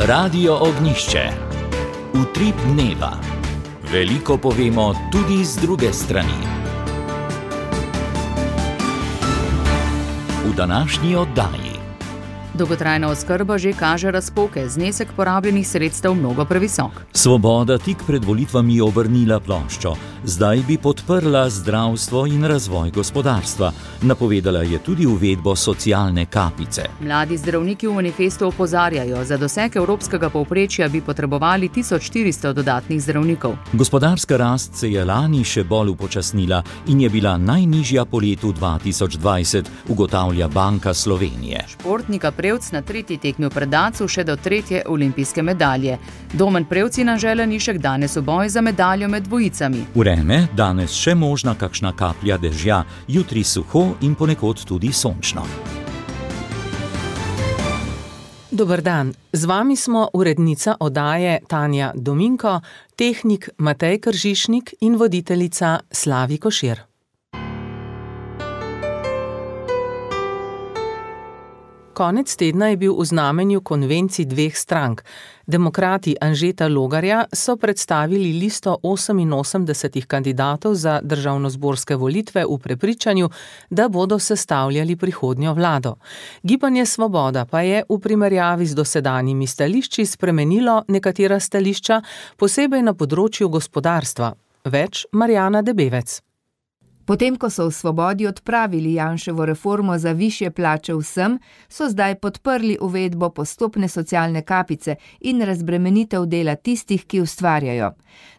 Radio Ognišče. Utrip dneva. Veliko povemo tudi z druge strani. V današnji oddaji. Dolgotrajna oskrba že kaže razpoke, znesek porabljenih sredstev mnogo previsok. Svoboda tik pred volitvami obrnila ploščo. Zdaj bi podprla zdravstvo in razvoj gospodarstva. Napovedala je tudi uvedbo socialne kapice. Mladi zdravniki v manifestu opozarjajo, za doseg evropskega povprečja bi potrebovali 1400 dodatnih zdravnikov. Gospodarska rast se je lani še bolj upočasnila in je bila najnižja po letu 2020, ugotavlja Banka Slovenije. Športnika Prevc na tretji tekmi v Predacu še do 3. olimpijske medalje. Domen Prevcina Želanišek danes v boj za medaljo med dvojicami. Vreme, danes še možna kakšna kaplja dežja, jutri suho in ponekod tudi sončno. Dober dan, z vami smo urednica oddaje Tanja Dominko, tehnik Matej Kržišnik in voditeljica Slavi Košir. Konec tedna je bil v znamenju konvencij dveh strank. Demokrati Anžeta Logarja so predstavili listo 88 kandidatov za državnozborske volitve v prepričanju, da bodo sestavljali prihodnjo vlado. Gibanje Svoboda pa je v primerjavi z dosedanjimi stališči spremenilo nekatera stališča, posebej na področju gospodarstva. Več Marjana Debevec. Potem, ko so v Svobodi odpravili Janševo reformo za višje plače vsem, so zdaj podprli uvedbo postopne socialne kapice in razbremenitev dela tistih, ki ustvarjajo.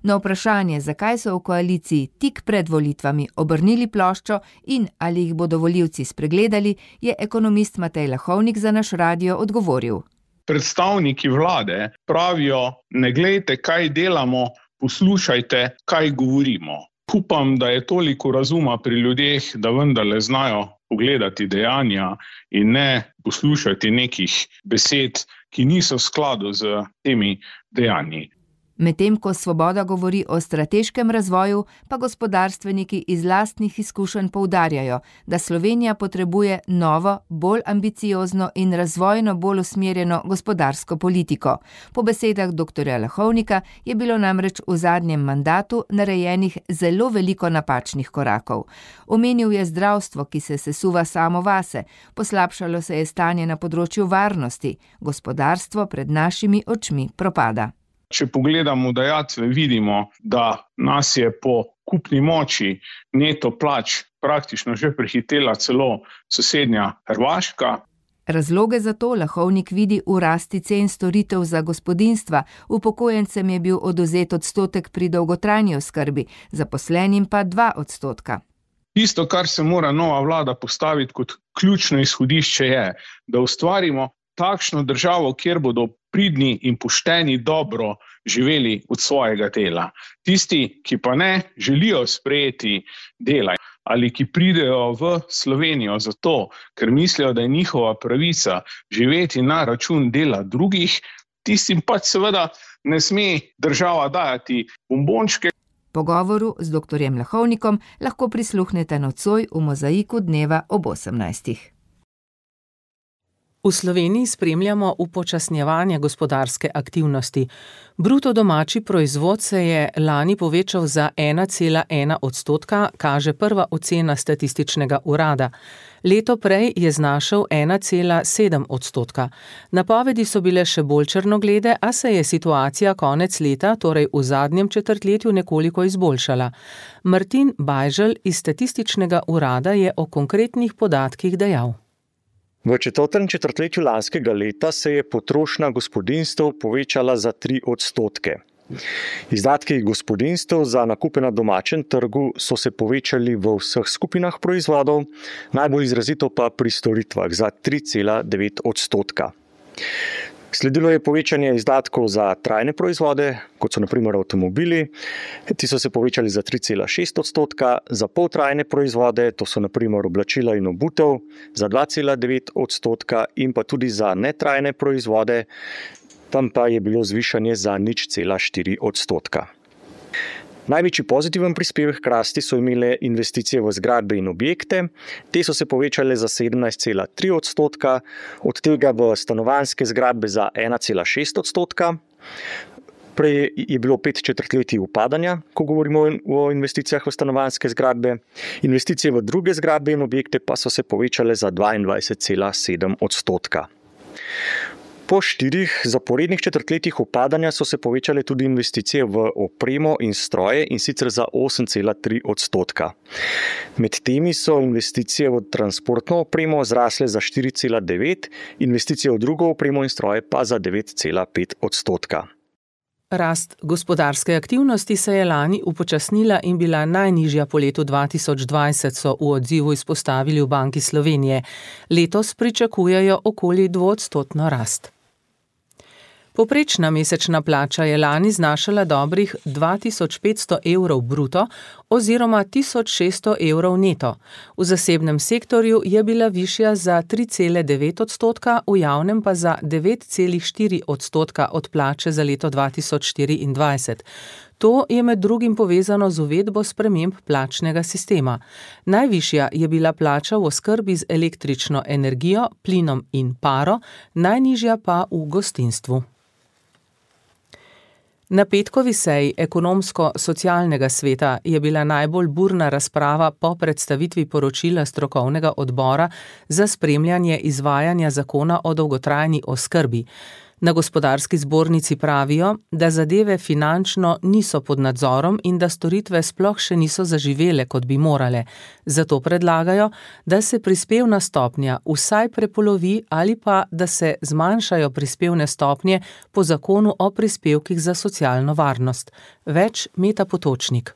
Na vprašanje, zakaj so v koaliciji tik pred volitvami obrnili ploščo in ali jih bodo volivci spregledali, je ekonomist Matej Lahovnik za naš radio odgovoril. Predstavniki vlade pravijo, ne glejte, kaj delamo, poslušajte, kaj govorimo. Upam, da je toliko razuma pri ljudeh, da vendarle znajo pogledati dejanja in ne poslušati nekih besed, ki niso v skladu z temi dejanji. Medtem ko Svoboda govori o strateškem razvoju, pa gospodarstveniki iz lastnih izkušenj poudarjajo, da Slovenija potrebuje novo, bolj ambiciozno in razvojno bolj usmerjeno gospodarsko politiko. Po besedah dr. Lahovnika je bilo namreč v zadnjem mandatu narejenih zelo veliko napačnih korakov. Omenil je zdravstvo, ki se sesuva samo vase, poslabšalo se je stanje na področju varnosti, gospodarstvo pred našimi očmi propada. Če pogledamo dajatve, vidimo, da nas je po kupni moči neto plač praktično že prehitela celo sosednja Hrvaška. Razloge za to Lahovnik vidi v rasti cen storitev za gospodinjstva, upokojencem je bil odvzet odstotek pri dolgotrajni oskrbi, zaposlenim pa 2%. Tisto, kar se mora nova vlada postaviti kot ključno izhodišče je, da ustvarimo takšno državo, kjer bodo pridni in pošteni dobro živeli od svojega dela. Tisti, ki pa ne želijo sprejeti dela ali ki pridejo v Slovenijo zato, ker mislijo, da je njihova pravica živeti na račun dela drugih, tistim pač seveda ne sme država dajati bombončke. Pogovoru z dr. Lahovnikom lahko prisluhnete nocoj v Mozaiku dneva ob 18. V Sloveniji spremljamo upočasnjevanje gospodarske aktivnosti. Bruto domači proizvod se je lani povečal za 1,1%, kaže prva ocena statističnega urada. Leto prej je znašel 1,7%. Napovedi so bile še bolj črnoglede, a se je situacija konec leta, torej v zadnjem četrtletju, nekoliko izboljšala. Martin Bajžel iz statističnega urada je o konkretnih podatkih dejal. V četrtem četrtletju lanskega leta se je potrošnja gospodinjstev povečala za 3%. Izdatki gospodinjstev za nakupe na domačem trgu so se povečali v vseh skupinah proizvodov, najbolj izrazito pa pri storitvah za 3,9%. Sledilo je povečanje izdatkov za trajne proizvode, kot so na primer avtomobili. Ti so se povečali za 3,6%, za poltrajne proizvode, to so na primer oblačila in obutev, za 2,9% in pa tudi za netrajne proizvode, tam pa je bilo zvišanje za 0,4%. Največji pozitiven prispevek k rasti so imele investicije v zgradbe in objekte. Te so se povečale za 17,3%, od tega v stanovanjske zgradbe za 1,6%. Prej je bilo 5 četrtletij upadanja, ko govorimo o investicijah v stanovanjske zgradbe. Investicije v druge zgradbe in objekte pa so se povečale za 22,7%. Po 4 zaporednih četrtletjih upadanja so se povečale tudi investicije v opremo in stroje, in sicer za 8,3%. Med temi so investicije v transportno opremo zrasle za 4,9%, investicije v drugo opremo in stroje pa za 9,5%. Rast gospodarske aktivnosti se je lani upočasnila in bila najnižja po letu 2020, so v odzivu izpostavili v Banki Slovenije. Letos pričakujejo okoli 2% rast. Povprečna mesečna plača je lani znašala dobrih 2500 evrov bruto oziroma 1600 evrov neto. V zasebnem sektorju je bila višja za 3,9%, v javnem pa za 9,4% od plače za leto 2024. To je med drugim povezano z uvedbo sprememb plačnega sistema. Najvišja je bila plača v oskrbi z električno energijo, plinom in paro, najnižja pa v gostinstvu. Na petkovi seji ekonomsko-socialnega sveta je bila najbolj burna razprava po predstavitvi poročila strokovnega odbora za spremljanje izvajanja zakona o dolgotrajni oskrbi. Na gospodarski zbornici pravijo, da zadeve finančno niso pod nadzorom in da storitve sploh še niso zaživele, kot bi morale. Zato predlagajo, da se prispevna stopnja vsaj prepolovi ali pa da se zmanjšajo prispevne stopnje po zakonu o prispevkih za socialno varnost. Več Meta Potočnik.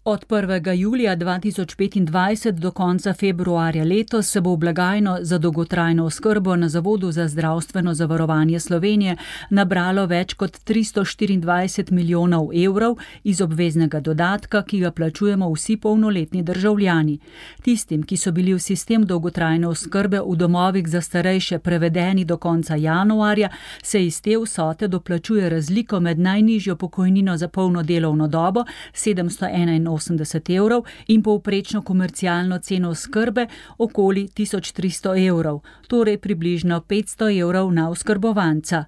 Od 1. julija 2025 do konca februarja letos se bo v blagajno za dolgotrajno oskrbo na Zavodu za zdravstveno zavarovanje Slovenije nabralo več kot 324 milijonov evrov iz obveznega dodatka, ki ga plačujemo vsi polnoletni državljani. Tistim, ki so bili v sistem dolgotrajne oskrbe v domovih za starejše prevedeni do konca januarja, se iz te vsote doplačuje razliko med najnižjo pokojnino za polno delovno dobo 781 evrov in povprečno komercialno ceno oskrbe okoli 1300 evrov, torej približno 500 evrov na oskrbovanca.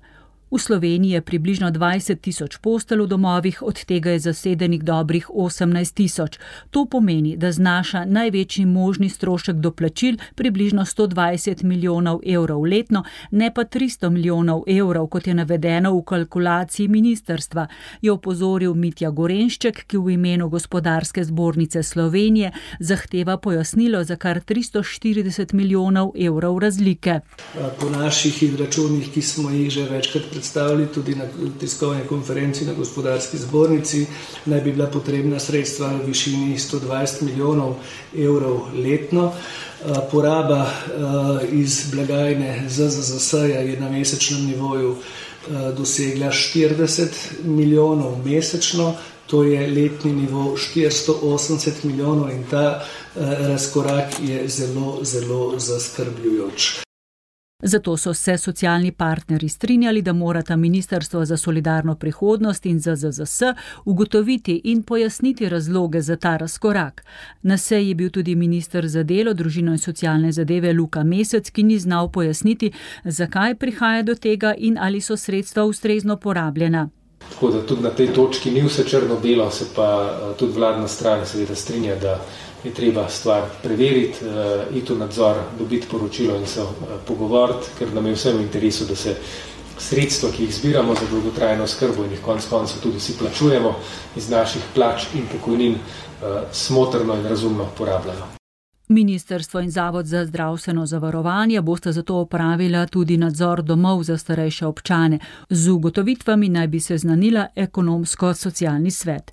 V Sloveniji je približno 20 tisoč postelj v domovih, od tega je zasedenih dobrih 18 tisoč. To pomeni, da znaša največji možni strošek doplačil približno 120 milijonov evrov letno, ne pa 300 milijonov evrov, kot je navedeno v kalkulaciji ministrstva, je opozoril Mitja Gorenšček, ki v imenu Gospodarske zbornice Slovenije zahteva pojasnilo za kar 340 milijonov evrov razlike. Po naših izračunih, ki smo jih že večkrat predstavili tudi na tiskovni konferenci na Gospodarski zbornici, naj bi bila potrebna sredstva v višini 120 milijonov evrov letno. Poraba iz blagajne ZZZS-ja je na mesečnem nivoju dosegla 40 milijonov mesečno, to je letni nivo 480 milijonov in ta razkorak je zelo, zelo zaskrbljujoč. Zato so se socialni partnerji strinjali, da morata Ministrstvo za solidarno prihodnost in ZZZS ugotoviti in pojasniti razloge za ta razkorak. Na seji je bil tudi minister za delo, družino in socialne zadeve Luka Mesec, ki ni znal pojasniti, zakaj prihaja do tega in ali so sredstva ustrezno porabljena. Tako da tudi na tej točki ni vse črno-belo, se pa tudi vladna stran seveda strinja, da je treba stvar preveriti, iti v nadzor, dobiti poročilo in se pogovoriti, ker nam je vsem v interesu, da se sredstva, ki jih zbiramo za dolgotrajno oskrbo in jih konec koncev tudi vsi plačujemo iz naših plač in pokojnin, smotrno in razumno porabljajo. Ministrstvo in Zavod za zdravstveno zavarovanje bosta zato opravila tudi nadzor domov za starejše občane. Z ugotovitvami naj bi se seznanila ekonomsko-socialni svet.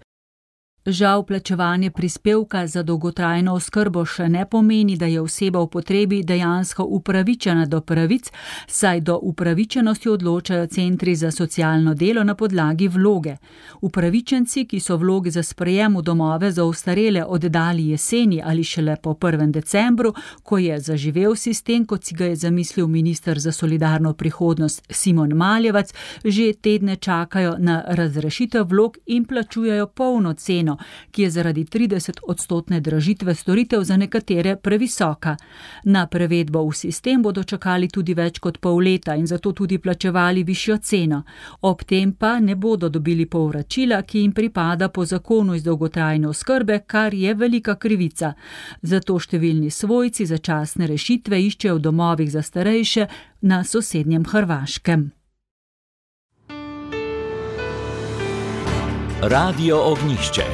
Žal plačevanje prispevka za dolgotrajno oskrbo še ne pomeni, da je oseba v potrebi dejansko upravičena do pravic, saj do upravičenosti odločajo centri za socialno delo na podlagi vloge. Upravičenci, ki so vloge za sprejem v domove za ostarele oddali jeseni ali šele po 1. decembru, ko je zaživel sistem, kot si ga je zamislil minister za solidarno prihodnost Simon Maljevac, že tedne čakajo na razrešitev vlog in plačujejo polno ceno, ceno, ki je zaradi 30% dražitve storitev za nekatere previsoka. Na prevedbo v sistem bodo čakali tudi več kot pol leta in zato tudi plačevali višjo ceno. Ob tem pa ne bodo dobili povračila, ki jim pripada po zakonu iz dolgotrajne oskrbe, kar je velika krivica. Zato številni svojci začasne rešitve iščejo v domovih za starejše na sosednjem Hrvaškem. Radio Ognjišče.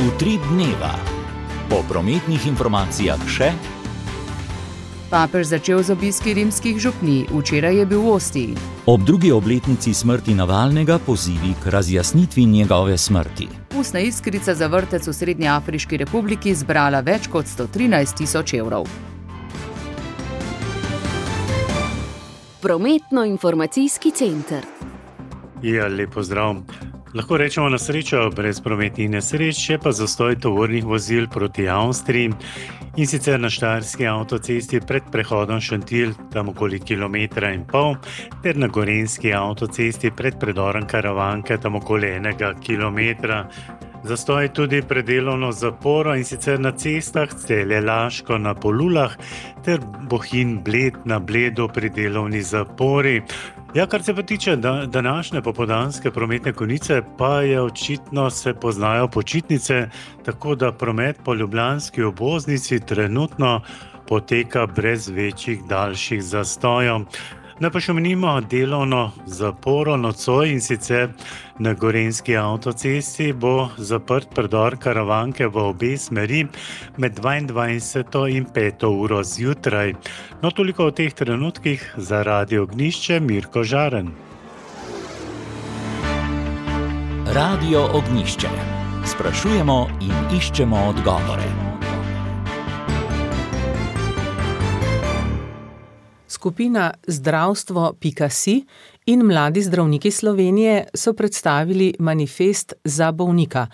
Utrip dneva. Po prometnih informacijah še. Papež začel z obiski rimskih župnij, včeraj je bil v Ostiji. Ob drugi obletnici smrti Navalnega pozivi k razjasnitvi njegove smrti. Ustna iskrica za vrtec v Srednjeafriški republiki zbrala več kot 113.000 evrov. Prometno-informacijski center. Ja, lep pozdrav. Lahko rečemo na srečo brez prometnih nesreč, je pa zastoj tovornih vozil proti Avstriji, in sicer na Štajerski avtocesti pred prehodom Šentilj, tam okoli 1,5 km, ter na Gorenjski avtocesti pred predorom Karavanke, tam okoli 1 km. Zastoj tudi pred delovno zaporo, in sicer na cestah Celje-Laško na Polulah ter Bohinj-Bled na Bledu pri delovni zapori. Ja, kar se pa tiče današnje popoldanske prometne konice, pa je očitno se poznajo počitnice, tako da promet po ljubljanski obvoznici trenutno poteka brez večjih daljših zastojev. Naj pa še omenimo delovno zaporo nocoj, in sicer na Gorenjski avtocesti bo zaprt predor Karavanke v obe smeri med 22. in 5. uro zjutraj. No, toliko o teh trenutkih. Za Radio Ognjišče Mirko Žaren. Radio Ognjišče. Sprašujemo in iščemo odgovore. Skupina Zdravstvo.si in Mladi zdravniki Slovenije so predstavili manifest za bolnika.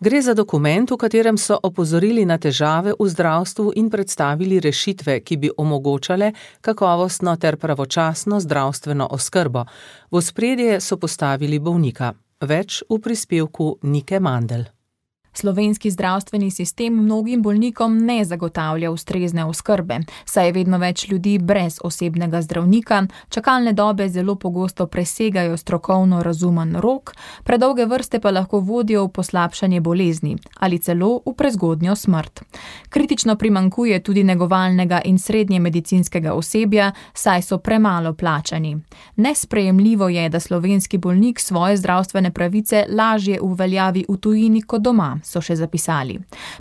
Gre za dokument, v katerem so opozorili na težave v zdravstvu in predstavili rešitve, ki bi omogočale kakovostno ter pravočasno zdravstveno oskrbo. V ospredje so postavili bolnika. Več v prispevku Nike Mandl. Slovenski zdravstveni sistem mnogim bolnikom ne zagotavlja ustrezne oskrbe, saj je vedno več ljudi brez osebnega zdravnika, čakalne dobe zelo pogosto presegajo strokovno razumen rok, predolge vrste pa lahko vodijo v poslabšanje bolezni ali celo v prezgodnjo smrt. Kritično primanjkuje tudi negovalnega in srednje medicinskega osebja, saj so premalo plačani. Nesprejemljivo je, da slovenski bolnik svoje zdravstvene pravice lažje uveljavi v tujini kot doma, so še zapisali.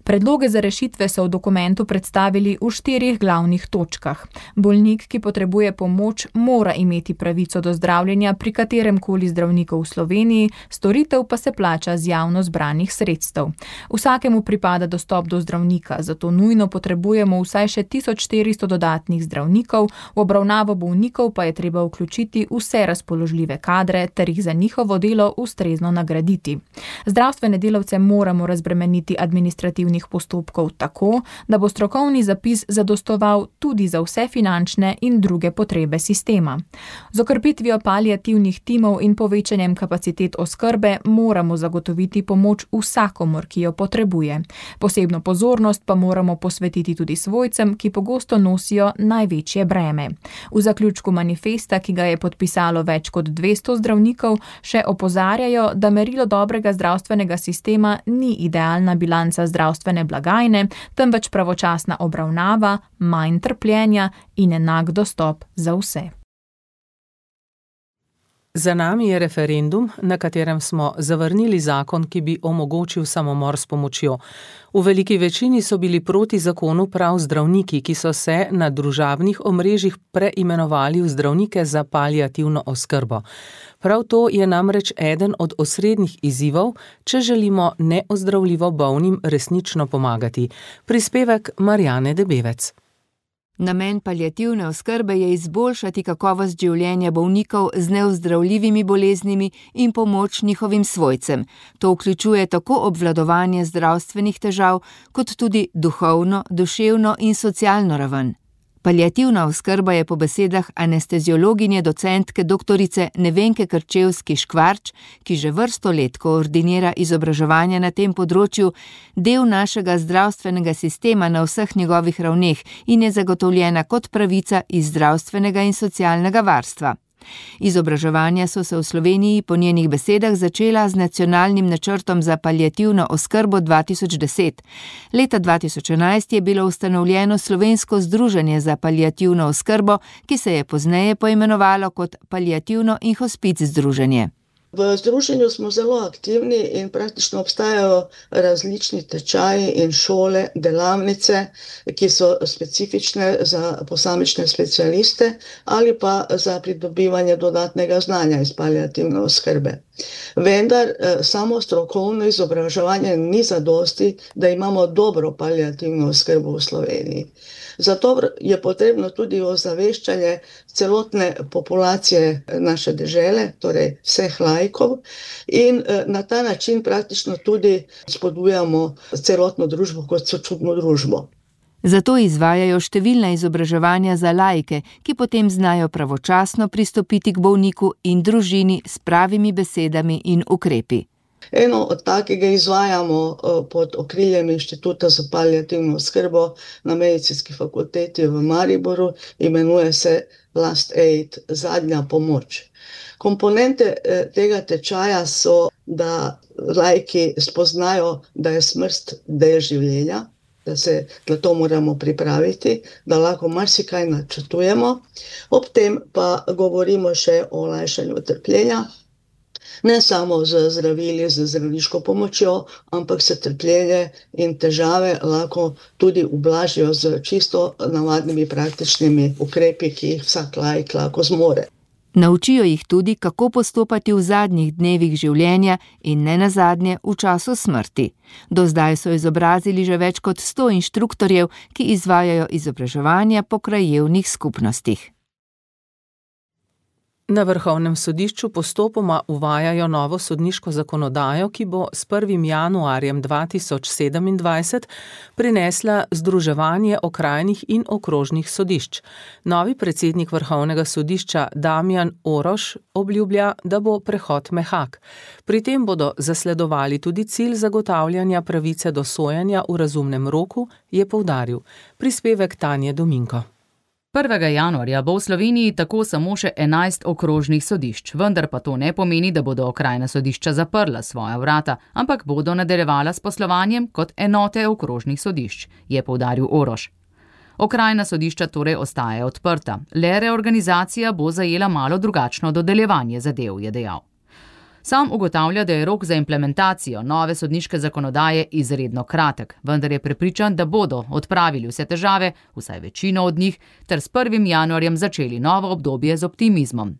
Predloge za rešitve so v dokumentu predstavili v 4 glavnih točkah. Bolnik, ki potrebuje pomoč, mora imeti pravico do zdravljenja pri kateremkoli zdravniku v Sloveniji, storitev pa se plača z javno zbranih sredstev. Vsakemu pripada dostop do zdravnika, zato nujno potrebujemo vsaj še 1400 dodatnih zdravnikov, v obravnavo bolnikov pa je treba vključiti vse razpoložljive kadre ter jih za njihovo delo ustrezno nagraditi. Zdravstvene delavce moramo razbremeniti administrativnih postopkov tako, da bo strokovni zapis zadostoval tudi za vse finančne in druge potrebe sistema. Z okrepitvijo paliativnih timov in povečanjem kapacitet oskrbe moramo zagotoviti pomoč vsakomur, ki jo potrebuje. Posebno pozornost pa moramo posvetiti tudi svojcem, ki pogosto nosijo največje breme. V zaključku manifesta, ki ga je podpisalo več kot 200 zdravnikov, še opozarjajo, da merilo dobrega zdravstvenega sistema ni idealna bilanca zdravstvene blagajne, temveč pravočasna obravnava, manj trpljenja in enak dostop za vse. Za nami je referendum, na katerem smo zavrnili zakon, ki bi omogočil samomor s pomočjo. V veliki večini so bili proti zakonu prav zdravniki, ki so se na družabnih omrežjih preimenovali v zdravnike za paliativno oskrbo. Prav to je namreč eden od osrednjih izzivov, če želimo neozdravljivo bolnim resnično pomagati. Prispevek Marjane Debevec. Namen paliativne oskrbe je izboljšati kakovost življenja bolnikov z neozdravljivimi boleznimi in pomoč njihovim svojcem. To vključuje tako obvladovanje zdravstvenih težav, kot tudi duhovno, duševno in socialno raven. Paliativna oskrba je po besedah anesteziologinje docentke doktorice Nevenke Krčevski-Škvarč, ki že vrsto let koordinira izobraževanje na tem področju, del našega zdravstvenega sistema na vseh njegovih ravneh in je zagotovljena kot pravica iz zdravstvenega in socialnega varstva. Izobraževanja so se v Sloveniji po njenih besedah začela z nacionalnim načrtom za paliativno oskrbo 2010. Leta 2011 je bilo ustanovljeno Slovensko združenje za paliativno oskrbo, ki se je pozneje poimenovalo kot Paliativno in hospic združenje. V združenju smo zelo aktivni in praktično obstajajo različni tečaji in šole, delavnice, ki so specifične za posamične specialiste ali pa za pridobivanje dodatnega znanja iz paliativne oskrbe. Vendar samo strokovno izobraževanje ni zadosti, da imamo dobro paliativno oskrbo v Sloveniji. Zato je potrebno tudi ozaveščanje celotne populacije naše dežele, torej vseh laikov, in na ta način praktično tudi spodbujamo celotno družbo kot sočutno družbo. Zato izvajajo številna izobraževanja za laike, ki potem znajo pravočasno pristopiti k bolniku in družini s pravimi besedami in ukrepi. Eno od takega izvajamo pod okriljem Inštituta za paliativno oskrbo na Medicinski fakulteti v Mariboru, imenuje se Last Aid, zadnja pomoč. Komponente tega tečaja so, da laiki spoznajo, da je smrt del življenja, da se na to moramo pripraviti, da lahko marsikaj načrtujemo, ob tem pa govorimo še o olajšanju trpljenja, ne samo z zdravili, z zdravniško pomočjo, ampak se trpljenje in težave lahko tudi ublažijo z čisto navadnimi praktičnimi ukrepi, ki jih vsak laik lahko zmore. Naučijo jih tudi, kako postopati v zadnjih dnevih življenja in ne nazadnje v času smrti. Do zdaj so izobrazili že več kot 100 inštruktorjev, ki izvajajo izobraževanja po krajevnih skupnostih. Na Vrhovnem sodišču postopoma uvajajo novo sodniško zakonodajo, ki bo s 1. januarjem 2027 prinesla združevanje okrajnih in okrožnih sodišč. Novi predsednik Vrhovnega sodišča Damjan Oroš obljublja, da bo prehod mehak. Pri tem bodo zasledovali tudi cilj zagotavljanja pravice do sojenja v razumnem roku, je poudaril. Prispevek Tanje Dominko. 1. januarja bo v Sloveniji tako samo še 11 okrožnih sodišč, vendar pa to ne pomeni, da bodo okrajna sodišča zaprla svoja vrata, ampak bodo nadaljevala s poslovanjem kot enote okrožnih sodišč, je poudaril Oroš. Okrajna sodišča torej ostajajo odprta, le reorganizacija bo zajela malo drugačno dodeljevanje zadev, je dejal. Sam ugotavlja, da je rok za implementacijo nove sodniške zakonodaje izredno kratek, vendar je prepričan, da bodo odpravili vse težave, vsaj večino od njih, ter s 1. januarjem začeli novo obdobje z optimizmom.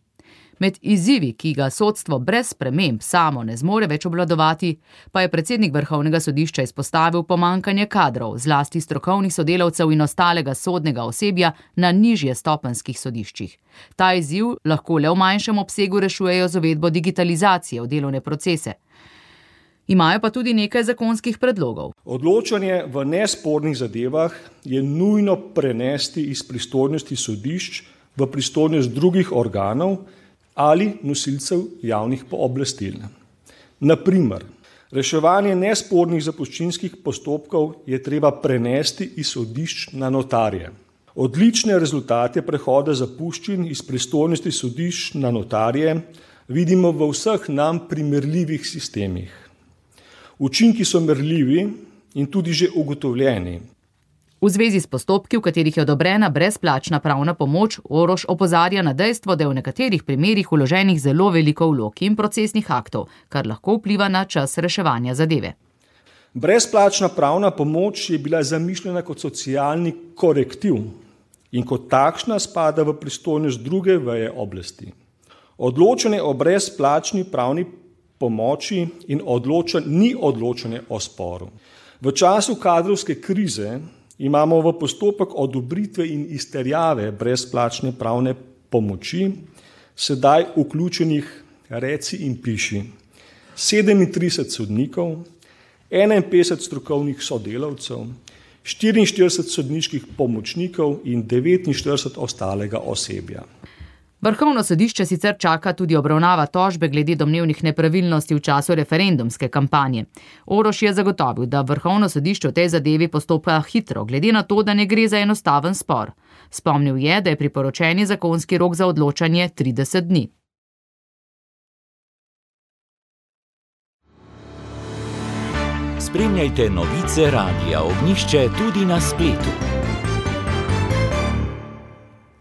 Med izzivi, ki ga sodstvo brez sprememb samo ne zmore več obvladovati, pa je predsednik Vrhovnega sodišča izpostavil pomanjkanje kadrov, zlasti strokovnih sodelavcev in ostalega sodnega osebja na nižje stopenjskih sodiščih. Ta izziv lahko le v manjšem obsegu rešujejo z uvedbo digitalizacije v delovne procese. Imajo pa tudi nekaj zakonskih predlogov. Odločanje v nespornih zadevah je nujno prenesti iz pristojnosti sodišč v pristojnost drugih organov ali nosilcev javnih pooblastil. Na primer, reševanje nespornih zapuščinskih postopkov je treba prenesti iz sodišč na notarje. Odlične rezultate prehoda zapuščin iz pristojnosti sodišč na notarje vidimo v vseh nam primerljivih sistemih. Učinki so merljivi in tudi že ugotovljeni. V zvezi s postopki, v katerih je odobrena brezplačna pravna pomoč, Oroš opozarja na dejstvo, da je v nekaterih primerih vloženih zelo veliko vlog in procesnih aktov, kar lahko vpliva na čas reševanja zadeve. Brezplačna pravna pomoč je bila zamišljena kot socialni korektiv in kot takšna spada v pristojnost druge veje oblasti. Odločanje o brezplačni pravni pomoči in ni odločanje o sporu. V času kadrovske krize imamo v postopek odobritve in izterjave brezplačne pravne pomoči sedaj vključenih, reci in piši, 37 sodnikov, 51 strokovnih sodelavcev, 44 sodniških pomočnikov in 49 ostalega osebja. Vrhovno sodišče sicer čaka tudi obravnava tožbe glede domnevnih nepravilnosti v času referendumske kampanje. Oroš je zagotovil, da Vrhovno sodišče v tej zadevi postopa hitro, glede na to, da ne gre za enostaven spor. Spomnil je, da je priporočeni zakonski rok za odločanje 30 dni. Spremljajte novice Radia Ognjišče tudi na spletu.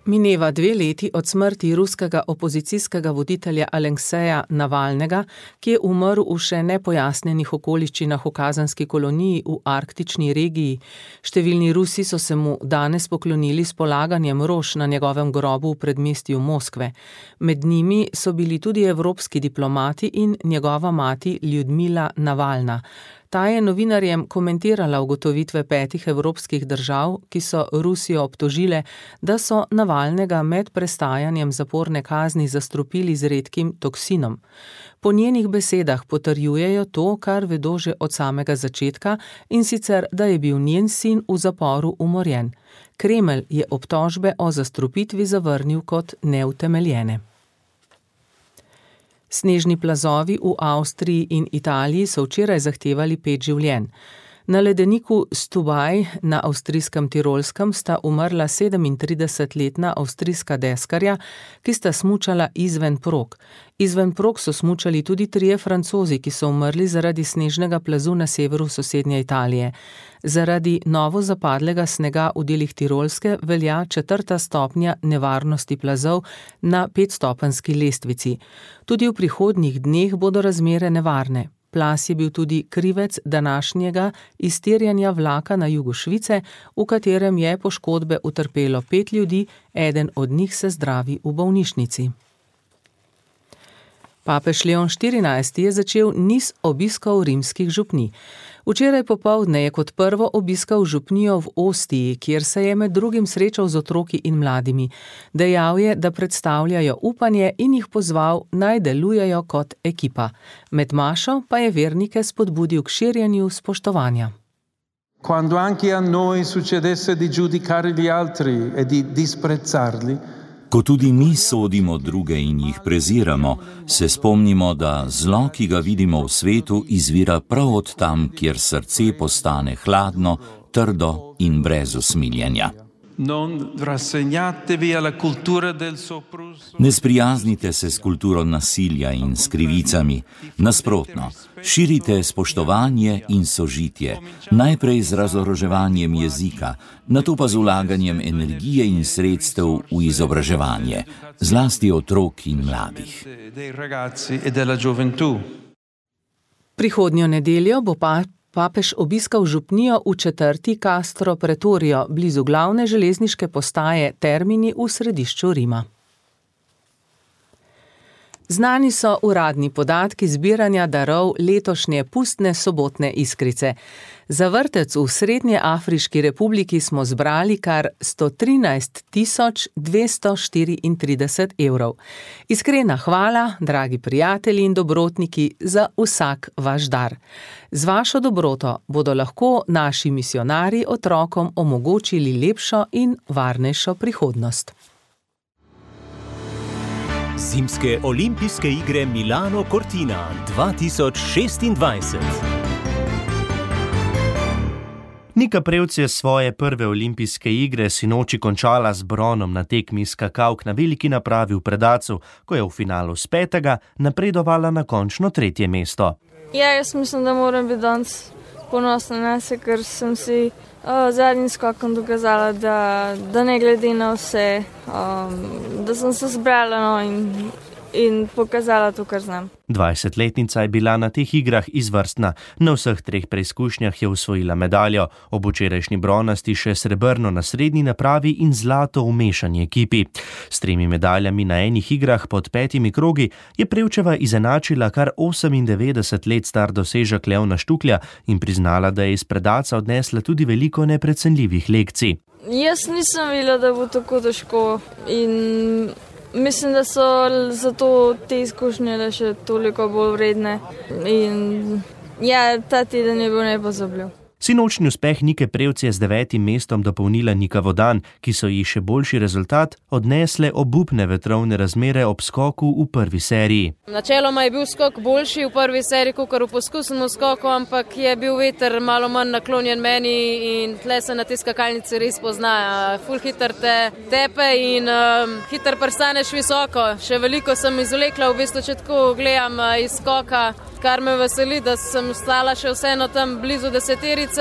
Mineva 2 leti od smrti ruskega opozicijskega voditelja Alekseja Navalnega, ki je umrl v še nepojasnjenih okoliščinah v kazenski koloniji v arktični regiji. Številni Rusi so se mu danes poklonili s polaganjem rož na njegovem grobu v predmestju Moskve. Med njimi so bili tudi evropski diplomati in njegova mati Ljudmila Navalna. Ta je novinarjem komentirala ugotovitve 5 evropskih držav, ki so Rusijo obtožile, da so Navalnega med prestajanjem zaporne kazni zastrupili z redkim toksinom. Po njenih besedah potrjujejo to, kar vedo že od samega začetka, in sicer, da je bil njen sin v zaporu umorjen. Kremelj je obtožbe o zastrupitvi zavrnil kot neutemeljene. Snežni plazovi v Avstriji in Italiji so včeraj zahtevali 5 življenj. Na ledeniku Stubaj na avstrijskem Tirolskem sta umrla 37-letna avstrijska deskarja, ki sta smučala izven prog. Izven prog so smučali tudi 3 Francozi, ki so umrli zaradi snežnega plazu na severu sosednje Italije. Zaradi novo zapadlega snega v delih Tirolske velja 4. stopnja nevarnosti plazov na 5-stopenjski lestvici. Tudi v prihodnjih dneh bodo razmere nevarne. Plaz je bil tudi krivec današnjega iztirjanja vlaka na jugu Švice, v katerem je poškodbe utrpelo 5 ljudi, eden od njih se zdravi v bolnišnici. Papež Leon XIV je začel niz obiskov rimskih župnij. Včeraj popoldne je kot prvo obiskal župnijo v Ostiji, kjer se je med drugim srečal z otroki in mladimi. Dejal je, da predstavljajo upanje in jih pozval, naj delujejo kot ekipa. Med mašo pa je vernike spodbudil k širjenju spoštovanja. Quando anche a noi succedesse di giudicare gli altri e di disprezzarli, Ko tudi mi sodimo druge in jih preziramo, se spomnimo, da zlo, ki ga vidimo v svetu, izvira prav od tam, kjer srce postane hladno, trdo in brez usmiljenja. Ne sprijaznite se s kulturo nasilja in s krivicami. Nasprotno, širite spoštovanje in sožitje, najprej z razoroževanjem jezika, nato pa z vlaganjem energije in sredstev v izobraževanje, zlasti otrok in mladih. Prihodnjo nedeljo bo papež obiskal župnijo v četrti Castro Pretorio, blizu glavne železniške postaje Termini v središču Rima. Znani so uradni podatki zbiranja darov letošnje pustne sobotne iskrice. Za vrtec v Srednjeafriški republiki smo zbrali kar 113 234 evrov. Iskrena hvala, dragi prijatelji in dobrotniki, za vsak vaš dar. Z vašo dobroto bodo lahko naši misionarji otrokom omogočili lepšo in varnejšo prihodnost. Zimske olimpijske igre Milano Cortina 2026. Nika Prevc je svoje prve olimpijske igre sinoči končala z bronom na tekmi skakavk na veliki napravi v Predacu, ko je v finalu s 5. napredovala na končno 3. mesto. Ja, jaz mislim, da moram biti danes ponosna na se, ker sem si zadnjim skokom dokazala, da ne glede na vse, da sem se zbrala in pokazala to, kar znam. 20-letnica je bila na teh igrah izvrstna. Na vseh 3 preizkušnjah je osvojila medaljo, ob včerajšnji bronasti še srebrno na srednji napravi in zlato v mešani ekipi. S 3 medaljami na enih igrah pod 5 krogi je Prevčeva izenačila kar 98 let star dosežek Leona Štuklja in priznala, da je iz Predaca odnesla tudi veliko neprecenljivih lekcij. Jaz nisem videla, da bo tako težko in mislim, da so zato te izkušnje le še toliko bolj vredne in ja, ta teden je bil nepozabljiv. Sinočni uspeh Nike Prevc je z 9. mestom dopolnila Nika Vodan, ki so ji še boljši rezultat odnesle obupne vetrovne razmere ob skoku v prvi seriji. Načeloma je bil skok boljši v prvi seriji, kakor v poskusnem skoku, ampak je bil veter malo manj naklonjen meni in tle se na te skakalnice res pozna. Ful hiter te tepe in hiter prestaneš visoko. Še veliko sem izvlekla, v bistvu če tako gledam iz skoka, kar me veseli, da sem stala še vseeno tam blizu deseterice,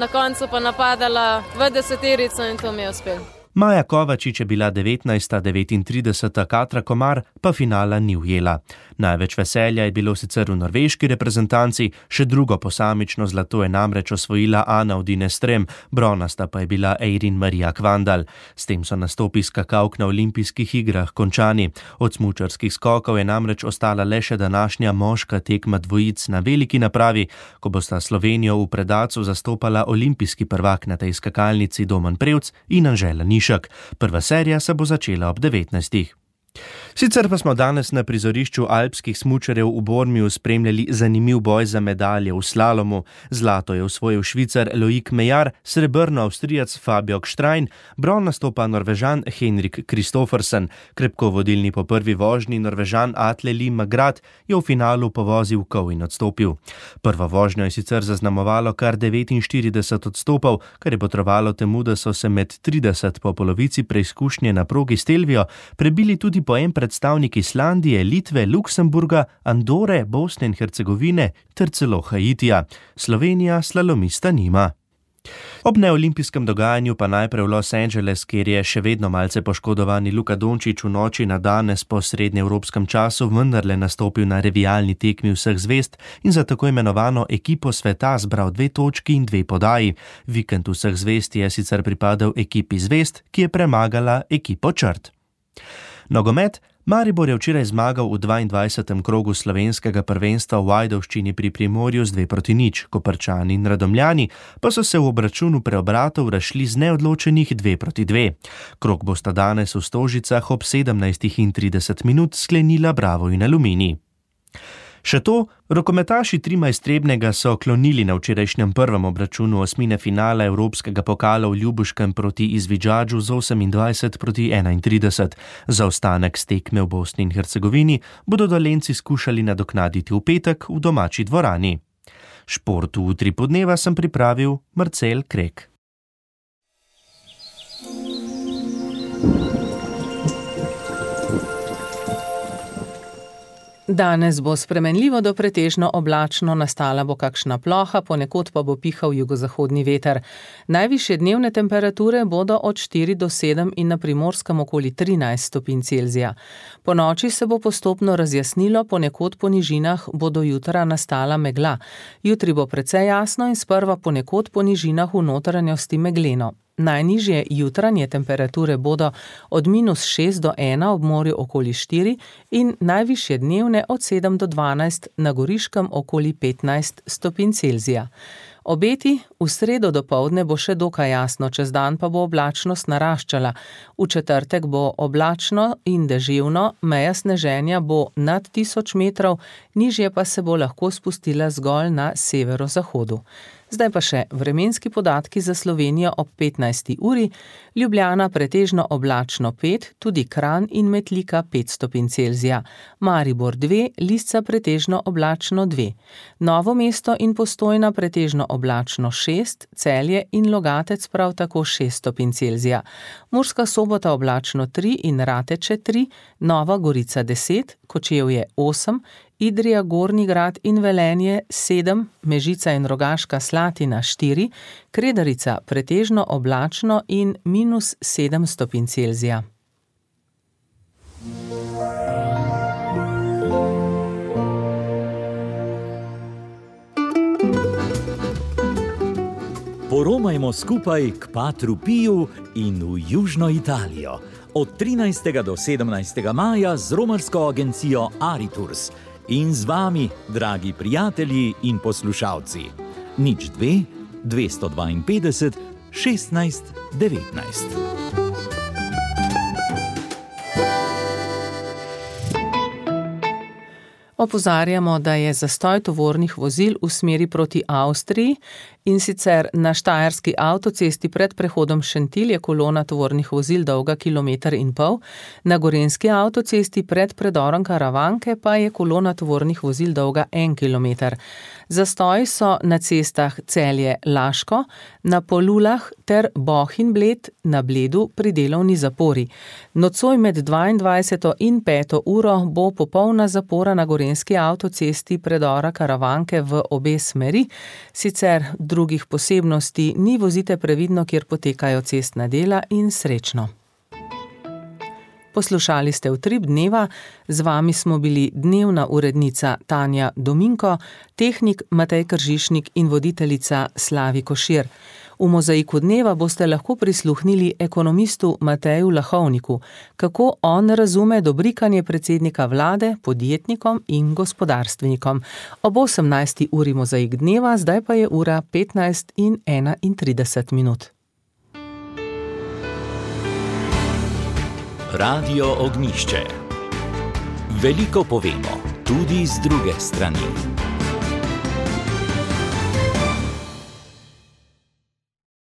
na koncu pa napadala v deseterico in to mi je uspelo. Maja Kovačič je bila 19., 39. Katra Komar pa finala ni ujela. Največ veselja je bilo sicer v norveški reprezentanci, še drugo posamično zlato je namreč osvojila Ana Odine Strem, bronasta pa je bila Eirin Marija Kvandal. S tem so nastopi skakalk na olimpijskih igrah končani. Od smučarskih skokov je namreč ostala le še današnja moška tekma dvojic na veliki napravi, ko bosta Slovenijo v predacu zastopala olimpijski prvak na tej skakalnici Domen Prevc in Anžela Nišek. Prva serija se bo začela ob 19. Sicer pa smo danes na prizorišču alpskih smučarjev v Bormiju spremljali zanimiv boj za medalje v slalomu. Zlato je osvojil Švicar Loic Meillard, srebrno Avstrijac Fabio Gstrein, bronasto pa Norvežan Henrik Kristoffersen. Krepko vodilni po prvi vožnji Norvežan Atle Lim Magrad je v finalu povozil kol in odstopil. Prvo vožnjo je sicer zaznamovalo kar 49 odstopov, kar je potrovalo temu, da so se med 30 po polovici preizkušnje na progi Stelvio prebili tudi po en predstavnik Islandije, Litve, Luksemburga, Andore, Bosne in Hercegovine ter celo Haitija. Slovenija slalomista nima. Ob neolimpijskem dogajanju pa najprej v Los Angeles, kjer je še vedno malce poškodovani Luka Dončić v noči na danes po srednjeevropskem času vendarle nastopil na revijalni tekmi vseh zvezd in za tako imenovano ekipo sveta zbral 2 točki in 2 podaji. Vikend vseh zvezd je sicer pripadal ekipi zvezd, ki je premagala ekipo črt. Nogomet. Maribor je včeraj zmagal v 22. krogu slovenskega prvenstva v Ajdovščini pri Primorju z 2-0. Koprčani in Radomljani pa so se v obračunu preobratov razšli z neodločenih 2-2. Krog bosta danes v Stožicah ob 17:30 sklenila Bravo in Aluminij. Še to, rokometaši Trima iz Trebnjega so klonili na včerajšnjem prvem obračunu osmine finala Evropskega pokala v Ljubuškem proti Izvidžadžu z 28:31. Zaostanek s tekme v Bosni in Hercegovini bodo Dolenjci skušali nadoknaditi v petek v domači dvorani. Šport v Utri podneva sem pripravil Marcel Krek. Danes bo spremenljivo do pretežno oblačno, nastala bo kakšna ploha, ponekod pa bo pihal jugozahodni veter. Najvišje dnevne temperature bodo od 4 do 7 in na Primorskem okoli 13 stopinj Celzija. Po noči se bo postopno razjasnilo, ponekod po nižinah bo do jutra nastala megla. Jutri bo precej jasno in sprva ponekod po nižinah v notranjosti megleno. Najnižje jutranje temperature bodo od -6 do 1 ob morju okoli 4 in najvišje dnevne od 7 do 12 na Goriškem okoli 15 stopinj Celzija. Obeti, v sredo dopoldne bo še dokaj jasno, čez dan pa bo oblačnost naraščala. V četrtek bo oblačno in deževno, meja sneženja bo nad 1000 metrov, nižje pa se bo lahko spustila zgolj na severozahodu. Zdaj pa še vremenski podatki za Slovenijo ob 15. uri, Ljubljana pretežno oblačno 5, tudi Kranj in Metlika 5 stopinj Celzija, Maribor 2, Lisca pretežno oblačno 2, Novo mesto in Postojna pretežno oblačno 6, Celje in Logatec prav tako 6 stopinj Celzija, Murska Sobota oblačno 3 in Rateče 3, Nova Gorica 10, Kočevje 8, Idrija, Gornji Grad in Velenje 7, Mežica in Rogaška Slatina 4, Kredarica pretežno oblačno in -7 stopinj Celzija. Poromajmo skupaj k Patru Piju in v Južno Italijo. Od 13. do 17. maja z romarsko agencijo Aritours. In z vami, dragi prijatelji in poslušalci. 02 252 16 19. Opozarjamo, da je zastoj tovornih vozil v smeri proti Avstriji, in sicer na štajerski avtocesti pred prehodom Šentilj je kolona tovornih vozil dolga 1,5 km, na gorenjski avtocesti pred predorom Karavanke pa je kolona tovornih vozil dolga 1 km. Zastoji so na cestah Celje-Laško, na Polulah ter Bohinj-Bled, na Bledu pri delovni zapori. Nocoj med 22. in 5. uro bo popolna zapora na gorenjski avtocesti predora Karavanke v obe smeri, sicer drugih posebnosti ni, vozite previdno, kjer potekajo cestna dela, in srečno. Poslušali ste Utrip dneva, z vami smo bili dnevna urednica Tanja Dominko, tehnik Matej Kržišnik in voditeljica Slavi Košir. V Mozaiku dneva boste lahko prisluhnili ekonomistu Mateju Lahovniku, kako on razume dobrikanje predsednika vlade podjetnikom in gospodarstvenikom. Ob 18. uri Mozaik dneva, zdaj pa je ura 15:31. Radio Ognjišče. Veliko povemo, tudi z druge strani.